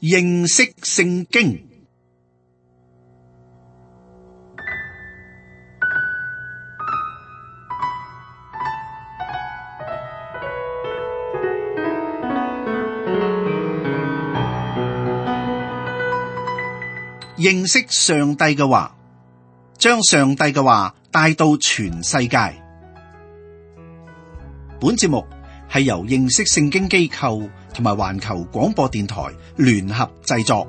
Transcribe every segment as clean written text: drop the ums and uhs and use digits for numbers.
認識聖經。認識上帝嘅話，將上帝嘅話帶到全世界。本節目係由認識聖經機構同埋環球廣播電台聯合製作。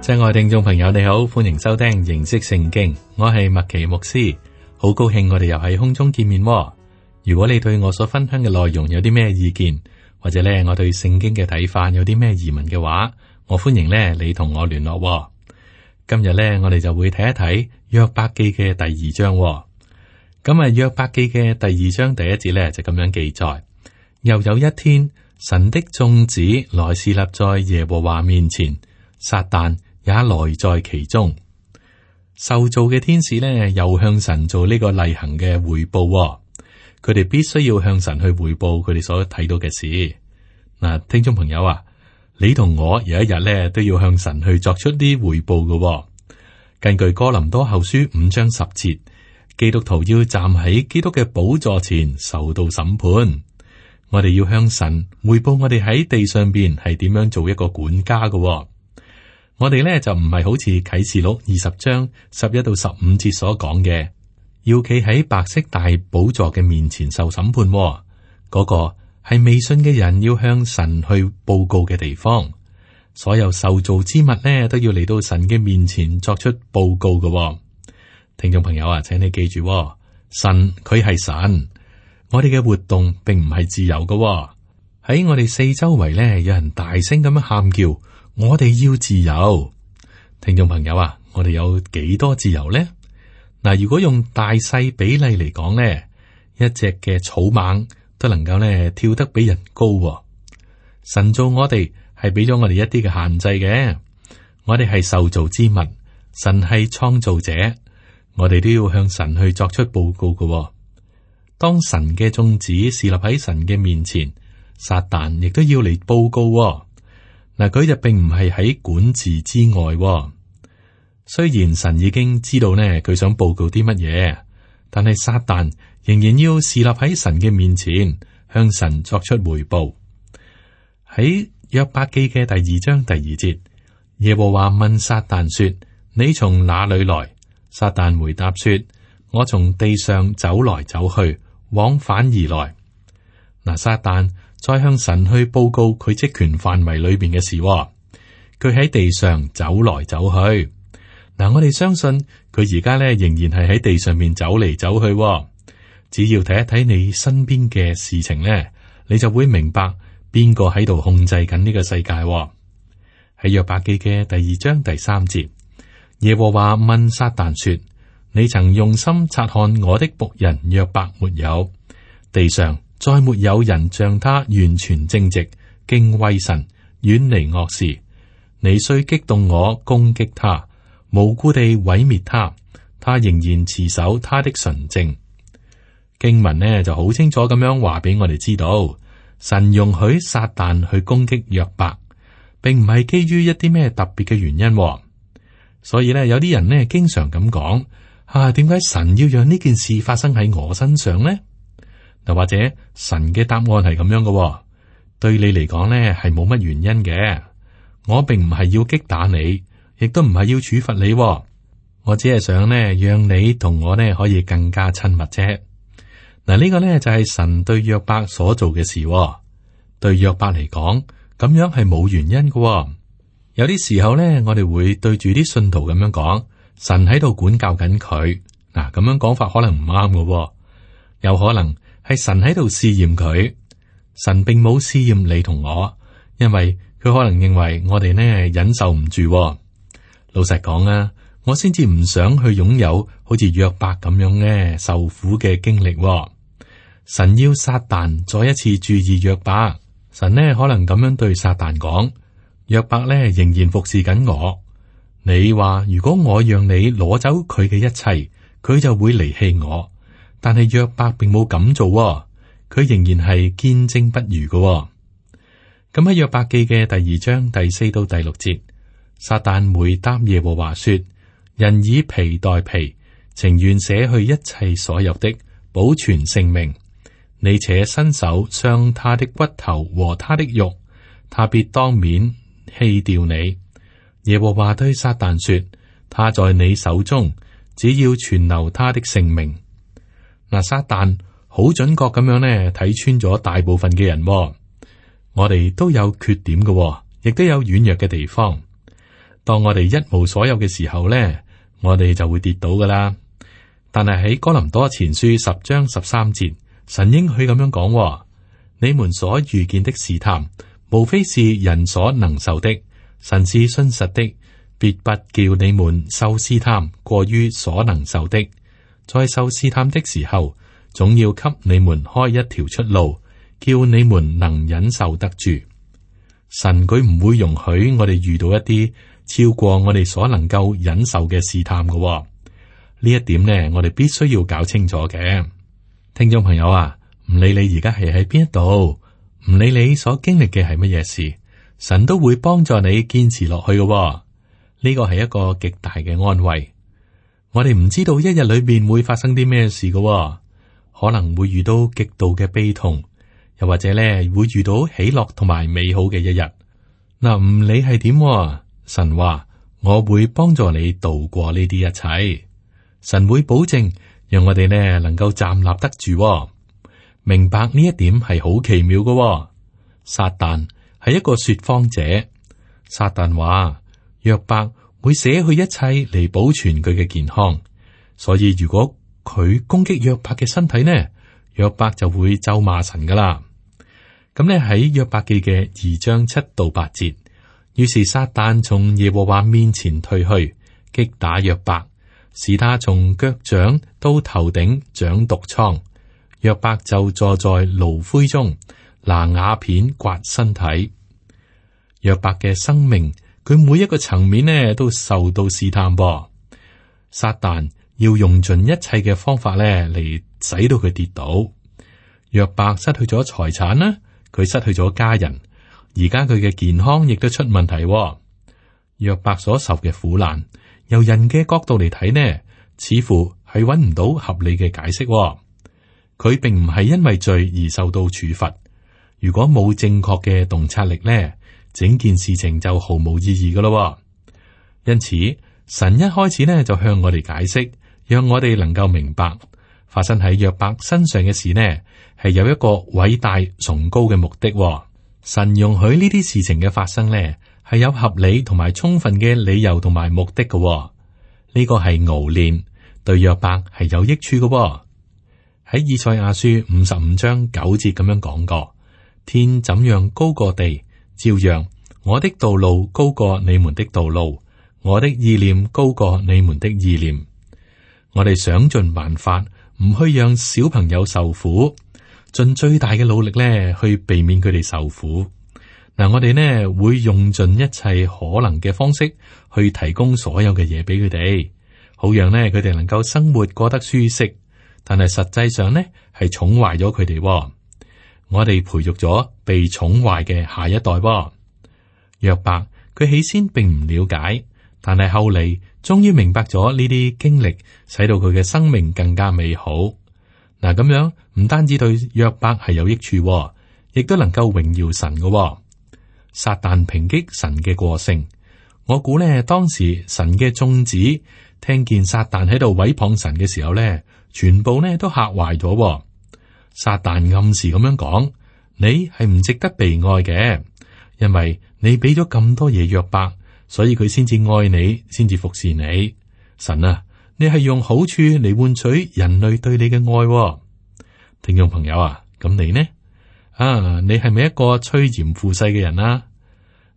親愛聽眾朋友，你好，歡迎收聽認識聖經，我係麥奇牧師，好高興我哋又喺空中見面。如果你對我所分享嘅內容有啲咩意見，或者咧我對聖經嘅睇法有啲咩疑問嘅話，我歡迎咧你同我聯絡。今日咧我哋就會睇一睇約伯記嘅第二章。咁啊，約伯記嘅第二章第一節咧就咁樣記載：又有一天，神的眾子來侍立在耶和華面前，撒旦也來在其中。受造嘅天使咧又向神做呢個例行嘅匯報。佢哋必須要向神去匯報佢哋所睇到嘅事。嗱，聽眾朋友啊，你同我有一日咧都要向神去作出啲匯報嘅。根據哥林多後書5章10節，基督徒要站喺基督嘅寶座前受到審判。我哋要向神匯報我哋喺地上邊係點樣做一個管家嘅。我哋咧就唔係好似啟示錄20章11到15節所講嘅，要企喺白色大寶座嘅面前受審判。嗰個係未信嘅人要向神去報告嘅地方。所有受造之物呢，都要嚟到神嘅面前作出報告嘅。聽眾朋友啊，請你記住，神佢係神，我哋嘅活動並唔係自由嘅。喺我哋四周圍呢，有人大聲咁樣喊叫，我哋要自由。聽眾朋友啊，我哋有幾多自由呢？嗱，如果用大細比例嚟講呢，一隻嘅草蜢都能夠呢跳得比人高。神造我哋係俾咗我哋一啲嘅限制嘅，我哋係受造之物，神係創造者，我哋都要向神去作出報告嘅。當神嘅眾子侍立喺神嘅面前，撒旦亦都要嚟報告。嗱，佢就並唔係喺管治之外。雖然神已經知道呢，佢想報告啲乜嘢，但係撒旦仍然要侍立喺神嘅面前，向神作出回報。喺約伯記嘅第二章第2節，耶和華問撒旦說：你從哪裏來？撒旦回答說：我從地上走來走去，往返而來。嗱，撒旦再向神去報告佢職權範圍裏邊嘅事。佢喺地上走來走去。嗱，我哋相信佢而家咧仍然係喺地上面走嚟走去。只要睇一睇你身邊嘅事情咧，你就會明白邊個喺度控制緊呢個世界。喺約伯記嘅第2章第3節，耶和華問撒旦說：你曾用心察看我的僕人約伯沒有？地上再沒有人像他完全正直，敬畏神，遠離惡事。你雖激動我攻擊他，無故地毀滅他，他仍然持守他的純正。經文呢就好清楚咁樣話俾我哋知道，神容許撒旦去攻擊約伯，並唔係基於一啲咩特別嘅原因。所以呢，有啲人呢經常咁講：點解神要讓呢件事發生喺我身上呢？又或者神嘅答案係咁樣嘅，對你嚟講呢係冇乜原因嘅。我並唔係要擊打你，亦都唔係要處罰你，我只係想呢，讓你同我呢可以更加親密啫。嗱，呢個呢就係神對約伯所做嘅事。對約伯嚟講，咁樣係冇原因嘅。有啲時候呢，我哋會對住啲信徒咁樣講，神喺度管教緊佢。嗱，咁樣講法可能唔啱嘅，有可能係神喺度試驗佢。神並冇試驗你同我，因為佢可能認為我哋呢忍受唔住。老實講啊，我先至唔想去擁有好似約伯咁樣呢受苦嘅經歷。神要撒旦再一次注意約伯。神呢可能咁樣對撒旦講：約伯呢仍然服侍緊我。你話如果我讓你攞走佢嘅一切，佢就會離棄我。但係約伯並冇咁做喎，佢仍然係堅貞不渝嘅喎。咁喺約伯記嘅第2章第4到第6節，撒旦回答耶和華說：人以皮代皮，情願捨去一切所有的，保存性命。你且伸手傷他的骨頭和他的肉，他必當面棄掉你。耶和華對撒旦說：他在你手中，只要存留他的性命。嗱，撒旦好準確咁樣呢，睇穿咗大部分嘅人喎。我哋都有缺點嘅喎，亦都有軟弱嘅地方。當我哋一無所有嘅時候呢，我哋就會跌倒噶啦。但係喺哥林多前書10章13節，神應許咁樣講喎：你們所遇見的試探，無非是人所能受的。神是信實的，必不叫你們受試探過於所能受的。在受試探的時候，總要給你們開一條出路，叫你們能忍受得住。神佢唔會容許我哋遇到一啲超過我哋所能夠忍受嘅試探嘅喎。呢一點呢，我哋必須要搞清楚嘅。聽眾朋友啊，唔理你而家係喺邊一度，唔理你所經歷嘅係乜嘢事，神都會幫助你堅持落去嘅喎。呢個係一個極大嘅安慰。我哋唔知道一日裏邊會發生啲咩事嘅喎，可能會遇到極度嘅悲痛。又或者咧，會遇到喜樂同埋美好嘅一日。嗱，唔理係點，神話我會幫助你度過呢啲一切。神會保證讓我哋呢能夠站立得住。明白呢一點係好奇妙嘅。撒旦係一個說謊者。撒旦話約伯會捨去一切嚟保存佢嘅健康，所以如果佢攻擊約伯嘅身體呢，約伯就會咒罵神噶啦。咁咧喺約伯記嘅2章7到8節，於是撒旦從耶和華面前退去，擊打約伯，使他從腳掌到頭頂長毒瘡。約伯就坐在爐灰中，拿瓦片刮身體。約伯嘅生命，佢每一個層面呢都受到試探噃。撒旦要用盡一切嘅方法咧嚟使到佢跌倒。約伯失去咗財產啦。佢失去咗家人，而家佢嘅健康亦都出問題。約伯所受嘅苦難，由人嘅角度嚟睇呢，似乎係揾唔到合理嘅解釋。佢並唔係因為罪而受到處罰。如果冇正確嘅洞察力呢，整件事情就毫無意義噶咯。因此，神一開始呢就向我哋解釋，讓我哋能夠明白發生喺約伯身上嘅事呢，係有一個偉大崇高嘅目的。神容許呢啲事情嘅發生呢，係有合理同埋充分嘅理由同埋目的嘅。呢個係熬練，對約伯係有益處嘅。喺以賽亞書55章9節咁樣講過：天怎樣高過地，照樣我的道路高過你們的道路，我的意念高過你們的意念。我哋想盡辦法，唔去讓小朋友受苦，盡最大嘅努力咧，去避免佢哋受苦。嗱，我哋呢會用盡一切可能嘅方式去提供所有嘅嘢俾佢哋，好讓呢佢哋能夠生活過得舒適。但係實際上呢係寵壞咗佢哋。我哋培育咗被寵壞嘅下一代。約伯佢起先並唔了解，但係後嚟終於明白咗呢啲經歷，使到佢嘅生命更加美好。嗱，咁樣唔單止對約伯係有益處，亦都能夠榮耀神嘅。撒旦抨擊神嘅過性，我估呢當時神嘅眾子聽見撒旦喺度毀謗神嘅時候呢，全部呢都嚇壞咗。撒旦暗示咁樣講：你係唔值得被愛嘅，因為你俾咗咁多嘢約伯，所以佢先至愛你，先至服侍你。神啊，你係用好處嚟換取人類對你嘅愛。聽眾朋友啊，咁你呢？你係咪一個趨炎附勢嘅人啊？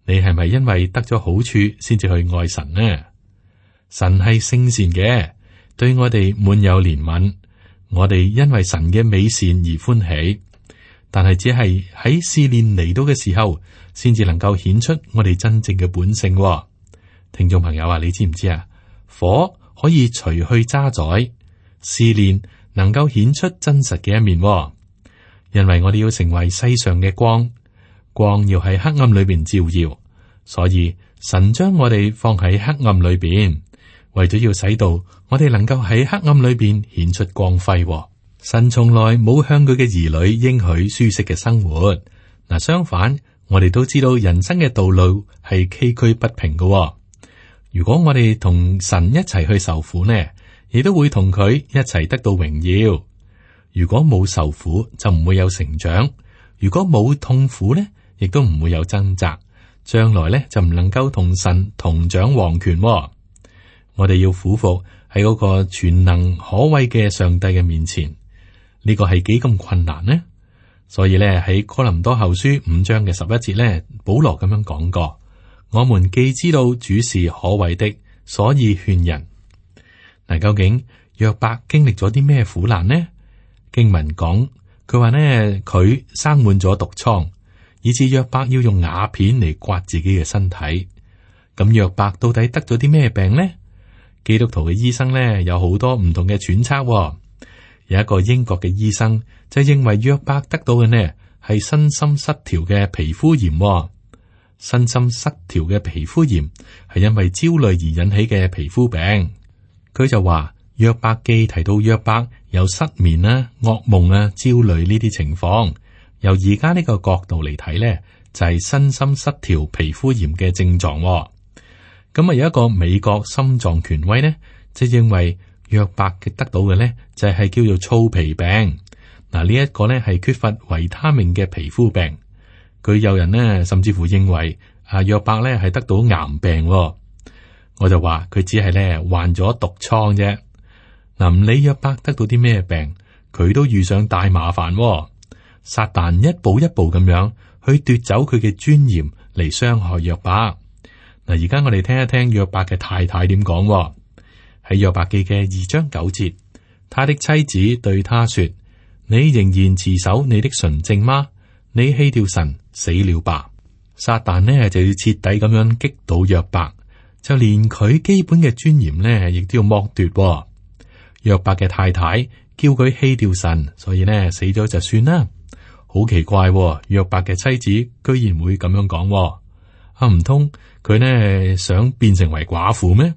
你係咪因為得咗好處先至去愛神呢？神係聖善嘅，對我哋滿有憐憫。我哋因為神嘅美善而歡喜，但係只係喺試煉嚟到嘅時候，先至能夠顯出我哋真正嘅本性。聽眾朋友啊，你知唔知啊？火可以除去渣滓，試煉能夠顯出真實嘅一面，因為我哋要成為世上嘅光，光要喺黑暗裏邊照耀，所以神將我哋放喺黑暗裏邊，為咗要使到我哋能夠喺黑暗裏邊顯出光輝。神從來冇向佢嘅兒女應許舒適嘅生活，相反，我哋都知道人生嘅道路係崎嶇不平嘅。如果我哋同神一齊去受苦呢，亦都會同佢一齊得到榮耀。如果冇受苦，就唔會有成長；如果冇痛苦呢，亦都唔會有掙扎。將來呢，就唔能夠同神同掌王權。我哋要俯伏喺嗰個全能可畏嘅上帝嘅面前，呢個係幾咁困難呢？所以咧，喺哥林多後書5章嘅11節咧，保羅咁樣講過：我們既知道主是可畏的，所以勸人。嗱，究竟約伯經歷咗啲咩苦難呢？經文講，佢話呢，佢生滿咗毒瘡，以致約伯要用瓦片嚟刮自己嘅身體。咁約伯到底得咗啲咩病呢？基督徒嘅醫生咧，有好多唔同嘅揣測。有一個英國嘅醫生就認為約伯得到嘅呢係身心失調嘅皮膚炎。身心失調嘅皮膚炎係因為焦慮而引起嘅皮膚病。佢就話約伯記提到約伯有失眠啊、噩夢啊、焦慮呢啲情況。由而家呢個角度嚟睇呢，就係身心失調皮膚炎嘅症狀。咁有一個美國心臟權威呢，就認為約伯嘅得到嘅呢，就係叫做糙皮病。嗱，呢一個呢係缺乏維他命嘅皮膚病。佢有人呢，甚至乎認為約伯呢係得到癌病。我就話佢只係呢患咗毒瘡啫。嗱，唔理約伯得到啲咩病，佢都遇上大麻煩。撒旦一步一步咁樣去奪走佢嘅尊嚴嚟傷害約伯。嗱，而家我哋聽一聽約伯嘅太太點講。喺約伯記嘅2章9節，他的妻子對他說：你仍然持守你的純正嗎？你棄掉神，死了吧！撒旦呢就要徹底咁樣擊倒約伯，就連佢基本嘅尊嚴呢亦都要剝奪。約伯嘅太太叫佢棄掉神，所以呢死咗就算啦。好奇怪，約伯嘅妻子居然會咁樣講。唔通佢呢想變成為寡婦咩？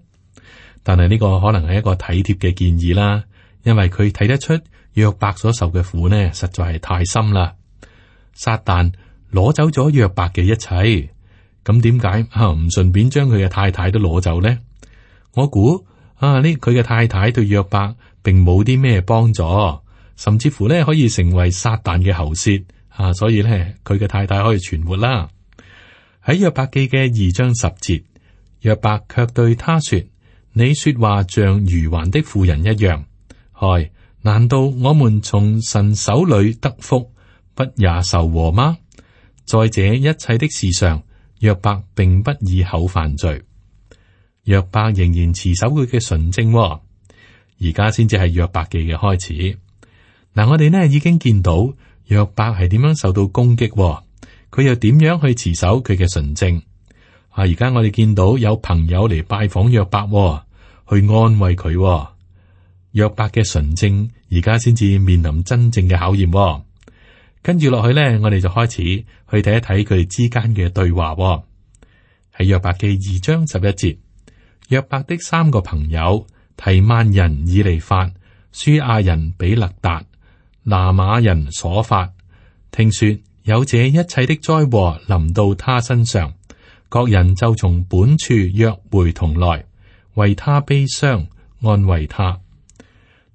但係呢個可能係一個體貼嘅建議啦，因為佢睇得出約伯所受嘅苦呢，實在係太深啦。撒旦攞走咗約伯嘅一切，咁點解唔順便將佢嘅太太都攞走呢？我估佢嘅太太對約伯並冇啲咩幫助，甚至乎呢可以成為撒旦嘅喉舌所以呢，佢嘅太太可以存活啦。喺約伯記嘅2章10節，約伯卻對他說：你說話像愚頑的婦人一樣。難道我們從神手裏得福，不也受禍嗎？在這一切的事上，約伯並不以口犯罪。約伯仍然持守佢嘅純正。而家先至係約伯記嘅開始。我哋呢已經見到約伯係點樣受到攻擊，佢又點樣去持守佢嘅純正。而家我哋見到有朋友嚟拜訪約伯，去安慰佢。約伯嘅純正而家先至面臨真正嘅考驗。跟住落去呢，我哋就開始去睇一睇佢哋之間嘅對話。喺約伯記2章11節，約伯的3個朋友提曼人以利法、書亞人比勒達、拿瑪人瑣法，聽說有這一切的災禍臨到他身上，各人就從本處約會同來，為他悲傷，安慰他。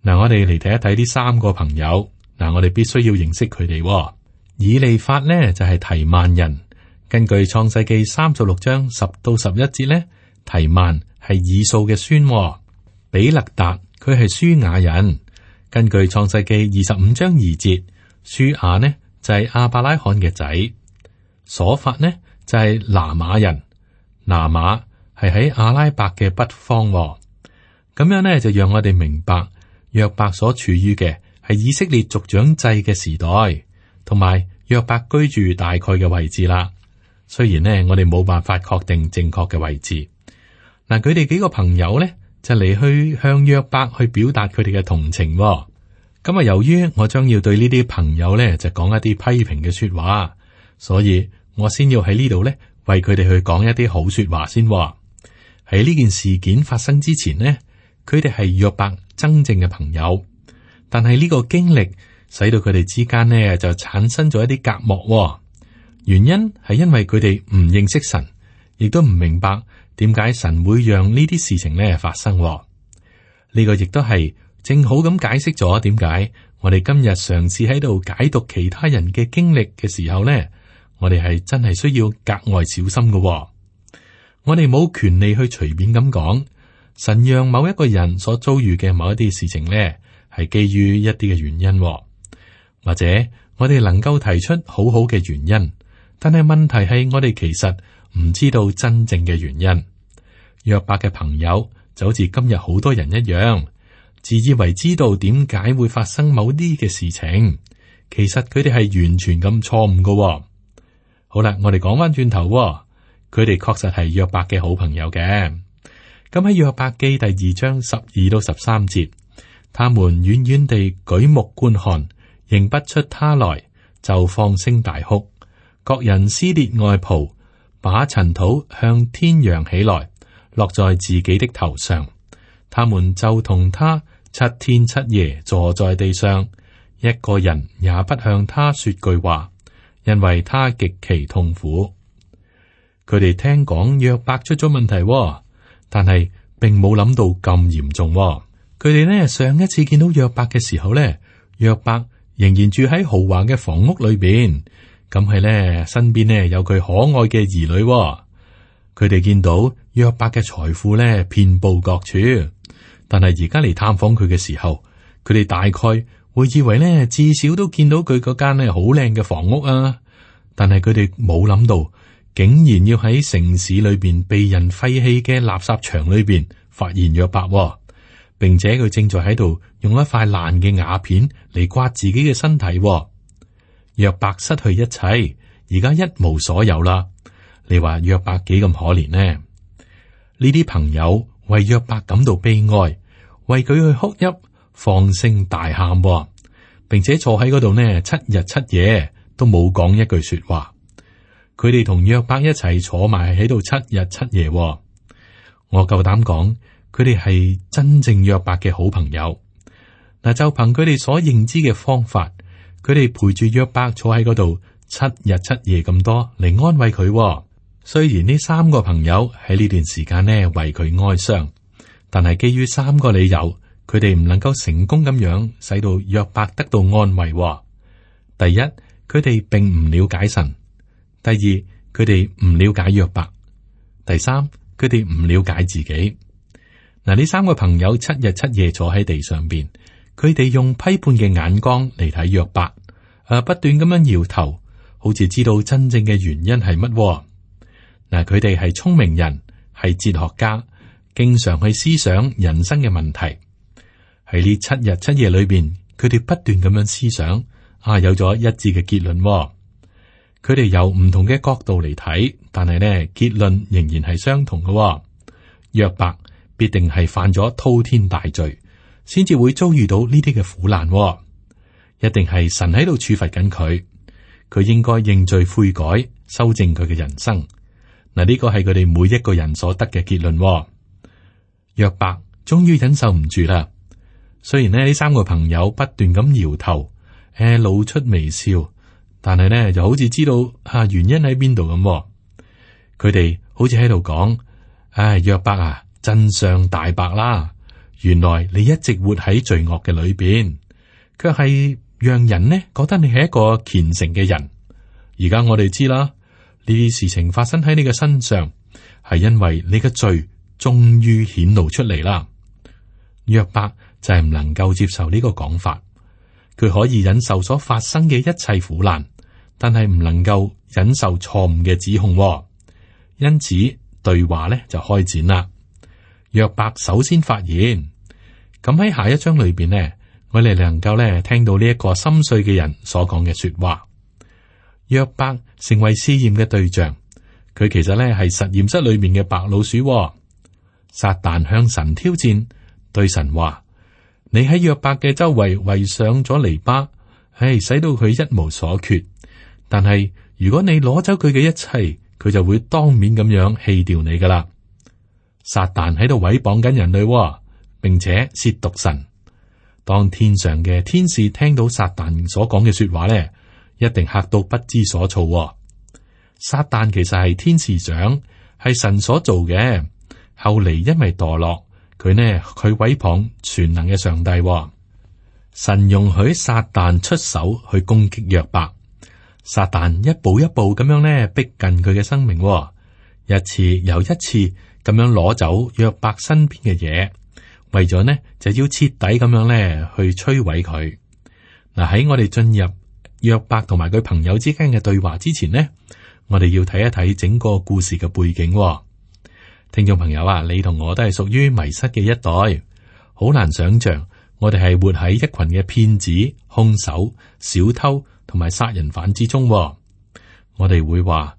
我哋嚟睇一睇呢3個朋友。我哋必須要認識佢哋。以利法呢就係提曼人，根據創世記36章10到11節呢，提曼係以掃嘅孫。比勒達佢係書亞人，根據創世記25章2節，書亞呢就係亞伯拉罕嘅仔。瑣法呢就係拿瑪人，拿瑪係喺阿拉伯嘅北方。咁樣呢就讓我哋明白約伯所處於嘅係以色列族長制嘅時代，同埋約伯居住大概嘅位置啦。雖然呢，我哋冇辦法確定正確嘅位置。佢哋幾個朋友呢，就嚟去向約伯去表達佢哋嘅同情。咁啊，由於我將要對呢啲朋友咧就講一啲批評嘅說話，所以我先要喺呢度咧為佢哋去講一啲好說話先。喺呢件事件發生之前呢，佢哋係約伯真正嘅朋友，但係呢個經歷使到佢哋之間呢就產生咗一啲隔膜。原因係因為佢哋唔認識神，亦都唔明白點解神會讓呢啲事情呢發生。呢個亦都係正好咁解釋咗點解我哋今日嘗試喺度解讀其他人嘅經歷嘅時候呢，我哋係真係需要格外小心嘅。我哋冇權利去隨便咁講，神讓某一個人所遭遇嘅某一啲事情呢，係基於一啲嘅原因，或者我哋能夠提出好好嘅原因，但係問題係我哋其實唔知道真正嘅原因。約伯嘅朋友就好似今日好多人一樣，自以為知道點解會發生某啲嘅事情，其實佢哋係完全咁錯誤嘅。好啦，我哋講翻轉頭，佢哋確實係約伯嘅好朋友嘅。咁喺約伯記第2章12到13節，他們遠遠地舉目觀看，認不出他來，就放聲大哭，各人撕裂外袍，把塵土向天揚起來，落在自己的頭上。他們就同他7天7夜坐在地上，一個人也不向他說句話，因為他極其痛苦。佢哋聽講約伯出咗問題，但係並冇諗到咁嚴重。佢哋呢上一次見到約伯嘅時候呢，約伯仍然住喺豪華嘅房屋裏邊，咁係呢身邊呢有佢可愛嘅兒女。佢哋見到約伯嘅財富呢遍佈各處，但係而家嚟探訪佢嘅時候，佢哋大概會以為呢至少都見到佢嗰間呢好靚嘅房屋啊，但係佢哋冇諗到，竟然要喺城市裏邊被人廢棄嘅垃圾場裏邊發現約伯，並且佢正在喺度用一塊爛嘅瓦片嚟刮自己嘅身體。約伯失去一切，而家一無所有啦。你話約伯幾咁可憐呢？呢啲朋友為約伯感到悲哀，為佢去哭泣，放聲大喊，並且坐喺嗰度呢7日7夜都冇講一句說話。佢哋同約伯一齊坐埋喺度7日7夜。我夠膽講，佢哋係真正約伯嘅好朋友。嗱，就憑佢哋所認知嘅方法，佢哋陪住約伯坐喺嗰度7日7夜咁多嚟安慰佢。雖然呢3個朋友喺呢段時間呢為佢哀傷，但係基於3個理由，佢哋唔能夠成功咁樣使到約伯得到安慰。第一，佢哋並唔了解神。第二，佢哋唔了解約伯。第三，佢哋唔了解自己。嗱，呢3個朋友7日7夜坐喺地上邊，佢哋用批判嘅眼光嚟睇約伯，不斷咁樣搖頭，好似知道真正嘅原因係乜。嗱，佢哋係聰明人，係哲學家，經常去思想人生嘅問題。喺呢7日7夜裏邊，佢哋不斷咁樣思想，有咗一致嘅結論。佢哋由唔同嘅角度嚟睇，但係呢結論仍然係相同嘅。約伯必定係犯咗滔天大罪，先至會遭遇到呢啲嘅苦難。一定係神喺度處罰緊佢，佢應該認罪悔改，修正佢嘅人生。嗱，呢個係佢哋每一個人所得嘅結論。約伯終於忍受唔住啦。雖然呢3個朋友不斷咁搖頭，露出微笑，但係呢就好似知道原因喺邊度咁。佢哋好似喺度講：約伯啊，真相大白啦！原來你一直活喺罪惡嘅裏邊，卻係讓人呢覺得你係一個虔誠嘅人。而家我哋知啦。呢啲事情發生喺你嘅身上，係因為你嘅罪終於顯露出嚟啦。約伯就係唔能夠接受呢個講法，佢可以忍受所發生嘅一切苦難，但係唔能夠忍受錯誤嘅指控。因此對話呢就開展啦。約伯首先發言，咁喺下一章裏邊呢，我哋能夠呢聽到呢一個心碎嘅人所講嘅說話。約伯成為試驗嘅對象，佢其實咧係實驗室裏面嘅白老鼠。撒旦向神挑戰，對神話：你喺約伯嘅周圍圍上咗籬笆，使到佢一無所缺。但係如果你攞走佢嘅一切，佢就會當面咁樣棄掉你噶啦。撒旦喺度毀謗緊人類，並且褻瀆神。當天上嘅天使聽到撒旦所講嘅說話咧，一定嚇到不知所措。撒旦其實係天使長，係神所做嘅。後嚟因為墮落，佢毀謗全能嘅上帝。神容許撒旦出手去攻擊約伯。撒旦一步一步咁樣逼近佢嘅生命，一次又一次咁樣攞走約伯身邊嘅嘢，為咗就要徹底咁樣去摧毀佢。嗱，喺我哋進入約伯同埋佢朋友之間嘅對話之前呢，我哋要睇一睇整個故事嘅背景。聽眾朋友啊，你同我都係屬於迷失嘅一代，好難想象我哋係活喺一群嘅騙子、兇手、小偷同埋殺人犯之中。我哋會話：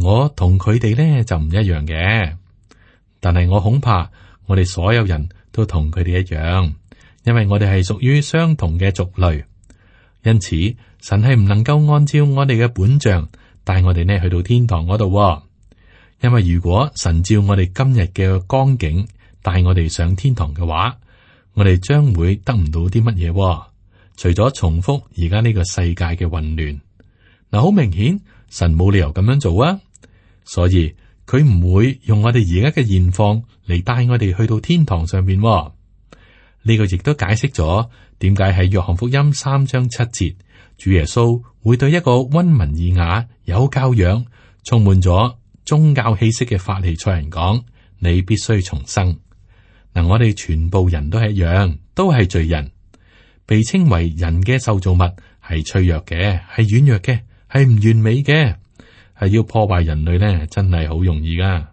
我同佢哋就唔一樣嘅。但係我恐怕我哋所有人都同佢哋一樣，因為我哋係屬於相同嘅族類。因此，神係唔能夠按照我哋嘅本相帶我哋去到天堂嗰度。因為如果神照我哋今日嘅光景帶我哋上天堂嘅話，我哋將會得唔到啲乜嘢？除咗重複而家呢個世界嘅混亂。嗱，好明顯神冇理由咁樣做啊，所以佢唔會用我哋而家嘅現況嚟帶我哋去到天堂上邊。呢個亦都解釋咗點解喺約翰福音3章7節，主耶穌會對一個溫文爾雅、有教養、充滿咗宗教氣息嘅法利賽人講：你必須重生。嗱，我哋全部人都係一樣，都係罪人，被稱為人嘅受造物，係脆弱嘅，係軟弱嘅，係唔完美嘅，係要破壞人類真係好容易噶。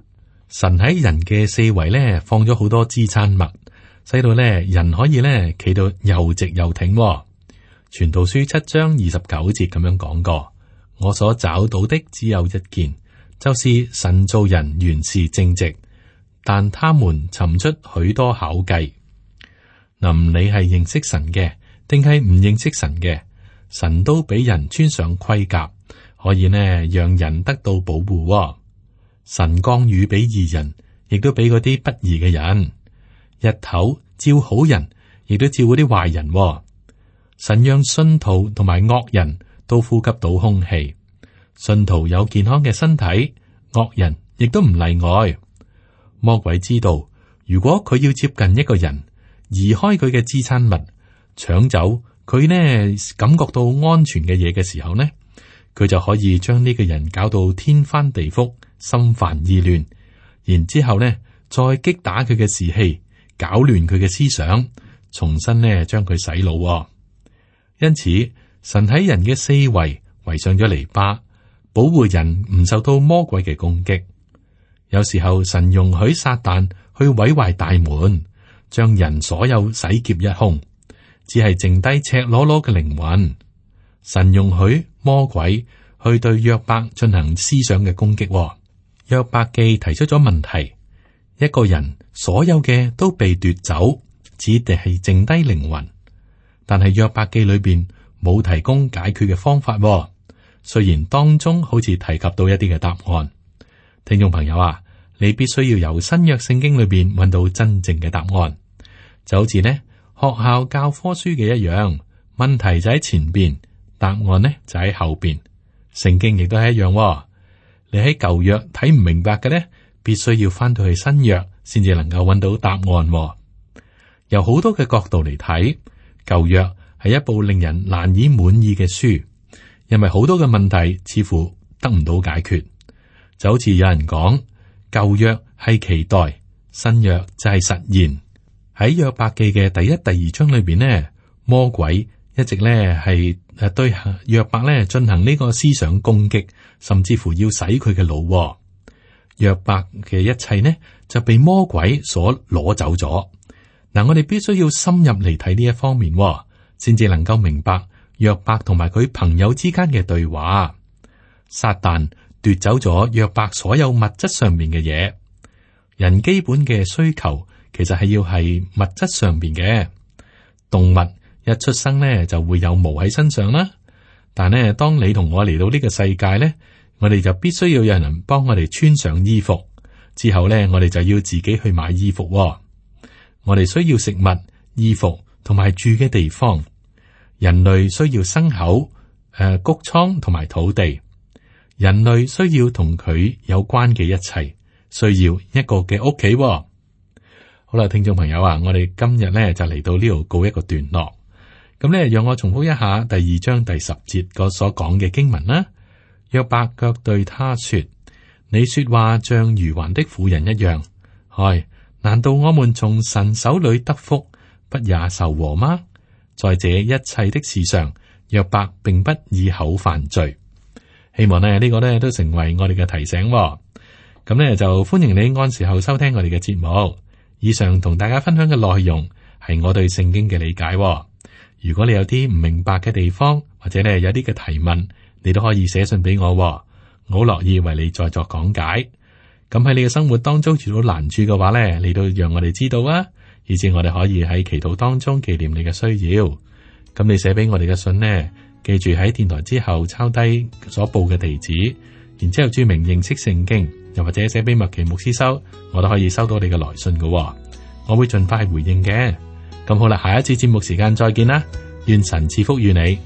神喺人嘅四圍放咗好多支撐物，使到人可以企到又直又挺。傳道書7章29節咁樣講過：我所找到的只有一件，就是神造人原是正直，但他們尋出許多巧計。唔理係認識神嘅，定係唔認識神嘅，神都俾人穿上盔甲，可以讓人得到保護。神降雨俾義人，亦都俾嗰啲不義嘅人。日頭照好人，亦都照嗰啲壞人。神讓信徒同埋惡人都呼吸到空氣，信徒有健康嘅身體，惡人亦都唔例外。魔鬼知道，如果佢要接近一個人，移開佢嘅支撐物，搶走佢感覺到安全嘅嘢嘅時候佢就可以將呢個人搞到天翻地覆、心煩意亂，然之後再擊打佢嘅士氣，搞亂佢嘅思想，重新將佢洗腦。因此，神喺人嘅四圍圍上咗籬笆，保護人唔受到魔鬼嘅攻擊。有時候神容許撒旦去毀壞大門，將人所有洗劫一空，只係剩低赤裸裸嘅靈魂。神容許魔鬼去對約伯進行思想嘅攻擊。約伯記提出咗問題：一個人所有嘅都被奪走，只係剩低靈魂。但係約伯記裏邊冇提供解決嘅方法。雖然當中好似提及到一啲嘅答案。聽眾朋友啊，你必須要由新約聖經裏邊揾到真正嘅答案，就好似學校教科書嘅一樣，問題就喺前邊，答案就喺後邊。聖經亦都係一樣，你喺舊約睇唔明白嘅必須要翻到去新約先至能夠揾到答案。由好多嘅角度嚟睇，舊約係一部令人難以滿意嘅書，因為好多嘅問題似乎得唔到解決。就好似有人講，舊約係期待，新約就係實現。喺約伯記嘅第1、第2章裏邊魔鬼一直係對約伯進行呢個思想攻擊，甚至乎要洗佢嘅腦。約伯嘅一切就被魔鬼所攞走咗。嗱，我哋必須要深入嚟睇呢一方面，先至能夠明白約伯同埋佢朋友之間嘅對話。撒旦奪走咗約伯所有物質上面嘅嘢。人基本嘅需求其實係要係物質上邊嘅。動物一出生呢就會有毛喺身上啦，但呢當你同我嚟到呢個世界呢，我哋就必須要有人幫我哋穿上衣服，之後呢我哋就要自己去買衣服喎。我哋需要食物、衣服同埋住嘅地方。人類需要牲口、穀倉同埋土地。人類需要同佢有關嘅一切，需要一個嘅屋企喎。好啦，聽眾朋友啊，我哋今日咧就嚟到呢度告一個段落。咁咧，讓我重複一下第2章第10節嗰所講嘅經文啦。約伯卻對他說：你說話像愚頑的婦人一樣。唉，難道我們從神手裏得福，不也受禍嗎？在這一切的事上，約伯並不以口犯罪。希望呢個呢都成為我哋嘅提醒喎。咁呢就歡迎你按時候收聽我哋嘅節目。以上同大家分享嘅內容係我對聖經嘅理解喎。如果你有啲唔明白嘅地方，或者呢有啲嘅提問，你都可以寫信俾我喎，我好樂意為你再作講解。咁喺你嘅生活當中遇到難處嘅話呢，你都讓我哋知道啊，以至我哋可以喺祈禱當中紀念你嘅需要。咁你寫俾我哋嘅信呢，記住喺電台之後抄低所報嘅地址，然之後注明認識聖經，又或者寫俾麥奇牧師收，我都可以收到你嘅來信嘅，我會盡快回應嘅。咁好啦，下一次節目時間再見啦，願神賜福於你。